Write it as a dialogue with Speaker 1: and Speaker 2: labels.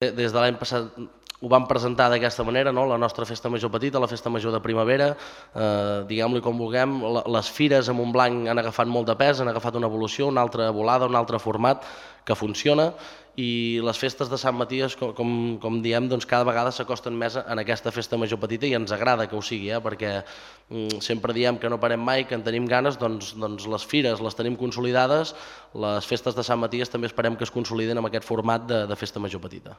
Speaker 1: Des de l'any passat ho vam presentar d'aquesta manera, la nostra festa major petita, la festa major de primavera, diguem-li com vulguem. Les fires a Montblanc han agafat molt de pes, han agafat una evolució, una altra volada, un altre format que funciona, i les festes de Sant Maties, com diem, cada vegada s'acosten més en aquesta festa major petita, i ens agrada que ho sigui, perquè sempre diem que no parem mai, que en tenim ganes. Doncs les fires les tenim consolidades, les festes de Sant Maties també esperem que es consoliden amb aquest format de festa major petita.